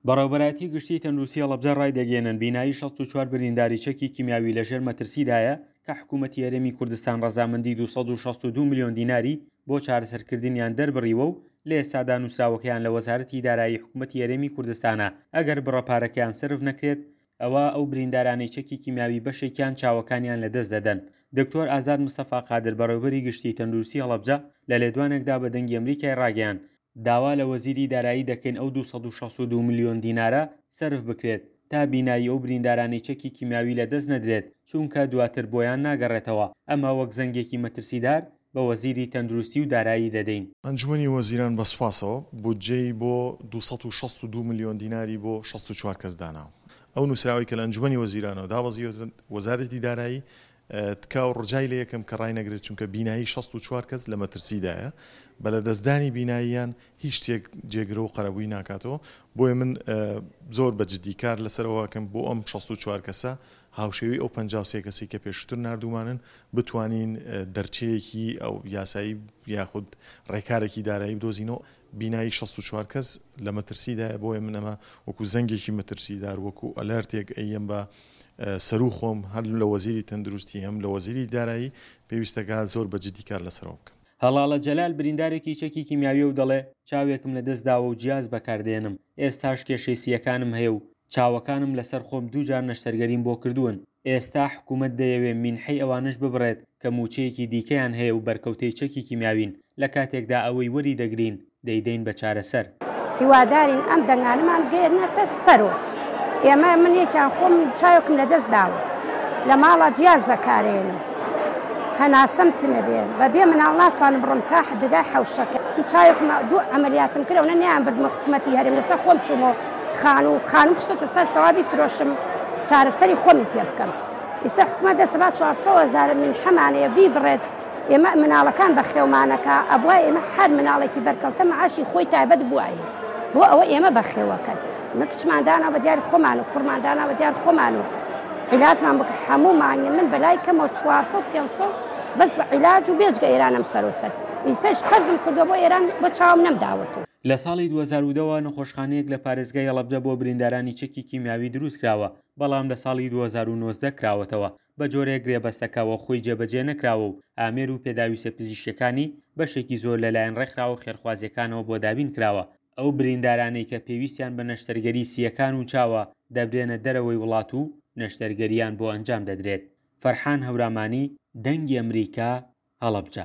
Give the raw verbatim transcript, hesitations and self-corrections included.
بەڕێوەبەرایەتی گشتیی تەندروستی هەڵەبجە ڕایدەگەیەنن، بینایی شەست و چوار برینداری چەکی کیمیاوی لەژێر مەترسیدایە کە حکوومەتی هەرێمی کوردستان ڕەزامەندی دوو سەد و شەست و دوو ملیۆن دیناری بۆ چارەسەرکردنیان دەربڕیوە و لە ئێستادا نووسراوەکەیان لە وەزارەتی دارایی حکوومەتی هەرێمی کوردستانە، ئەگەر بڕە پارەکەیان سەرف نەکرێت ئەوا ئەو بریندارانەی چەکی کیمیاوی بەشێکیان چاوەکانیان لەدەست دەدەن. دکتۆر ئازاد مستەفا قادر بەڕێوبەری گشتی تەندروستی هەڵەبجە لە لێدوانێکدا بە دەنگی ئەمریکای ڕاگەیاند، داوا لە وەزیری دارایی دەکەین ئەو دوو سەد و شەست و دوو ملیۆن دینارە سەرف بکرێت تا بینایی ئەو بریندارانەی چەکی کیمیاوی لەدەست نەدرێت، چونکە دواتر بۆیان ناگەڕێتەوە، ئەمە وەک زەنگێکی مەترسیدار بە وەزیری تەندروستی و دارایی دەدەین. ئەنجومەنی وەزیران بە سوپاسەوە بودجەی بۆ دوو سەد و شەست و دوو ملیۆن دیناری بۆ شەست و چوار کەس داناوە. ئەو نووسراوەی کە لە ئەنجومەنی وەزیرانەوە دابەزیوەتە وەزارەتی دارایی تکا و ڕجای لێ یەکەم کە ڕاینەگرێت، چونکە بینایی شەست و چوار کەس لە مەترسیدایە، بە لەدەستدانی بیناییان هیچ شتێک جێگرە و قەرەبووی ناکاتەوە. بۆیە من زۆر بە جدی کار لەسەرەوە ئەکەم بۆ ئەم شەست و چوار کەسە هاوشێوەی ئەو پەنجا و سێ کەسەی کە پێشتر ناردوومانن بتوانین دەرچەیەکی ئەو یاسایی یاخود ڕێکارێکی دارایی بدۆزینەوە. بینایی شەست و چوار کەس لە مەترسیدایە، بۆیە من ئەمە وەکو زەنگێکی مەترسیدار وەکو ئەلەرتێک ئەیەم بە سەرو خۆم، هەر لە وەزیری تەندروستی هەم لە وەزیری دارایی پێویستەکە زۆر بە جدی کار لەسەرەوە بکەم. هەڵاڵە جەلال بریندارێکی چەکی کیمیاویە و دەڵێ چاوێکم لەدەست داوە و جیاز بەکاردێنم، ئێستاش کێشەی سییەکانم هەیە و چاوەکانم لەسەر خۆم دوو جار نەشتەرگەریم بۆ کردوون. ئێستا حکوومەت دەیەوێ مینحەی ئەوانەش ببڕێت کە مووچەیەکی دیکەیان هەیە و بەرکەوتەی چەکی کیمیاوین، لە کاتێکدا ئەوەی وەری دەگرین دەیدەین بە چارەسەر. هیوادارین ئەم دەنگانەمان بگەیەنێتە سەرۆ. ئێمە من یەکیان خۆم چاوێکم لەدەست داوە، لە ماڵە جیاز بەکارێنم، هەناسەم تنەبێ، بەبێ مناڵ ناتوانم بڕۆم تا دگای حەوشەکە. من چاوێکم دوو عەمەلیاتم کرد، ئەوە نیان بردمە حکوومەتی هەرێم، لەسەر خۆم چوومەوە خانوو، خانوو خستۆتە سەر سەوابی فرۆشم چارەسەری خۆمی پێ بکەم. ئێستا حکوومەت دەسە با چوار سەد هەزار من حەمانەیە بیبڕێت، ئێمە مناڵەکان بە خێومانەکە، ئەبوای ئێمە هەر مناڵێکی بەرکەوتە معاشی خۆی تایبەت بوایە بۆ ئەوە ئێمە بەخێوەکەن. ئمە کچمان دانا بە دیار خۆمان و کوڕمان دانا بە دیار خۆمان و عیلاجمان بکە هەموو مانگێ من بەلای کەمەوە چوار سەد پێنج سەد بەس بە عیلاج و بێجگە ئێرانم سەرۆسەر. ئیسەش قەرزم کردووە بۆ ئێران بۆ چاوم نەمداوەتەوە. لە ساڵی دوو هەزار و دە وە نەخۆشخانەیەک لە پارێزگای هەڵەبجە بۆ بریندارانی چەکی کیمیاوی دروست کراوە، بەڵام لە ساڵی دوو هەزار و نۆزدە کراوەتەوە، بە جۆرێک گرێبەستەکەوە خۆی جێبەجێ نەکراوە و ئامێر و پێداویستە پزیشکیەکانی بەشێکی زۆر لەلایەن ڕێکخراوە خێرخوازیەکانەوە بۆ دابین کراوە. ئەو بریندارانەی کە پێویستیان بە نەشتەرگەری سییەکان و چاوە دەبرێنە دەرەوەی وڵات و نەشتەرگەریان بۆ ئەنجام دەدرێت. فەرحان هەورامانی، دەنگی ئەمریکا، هەڵەبجە.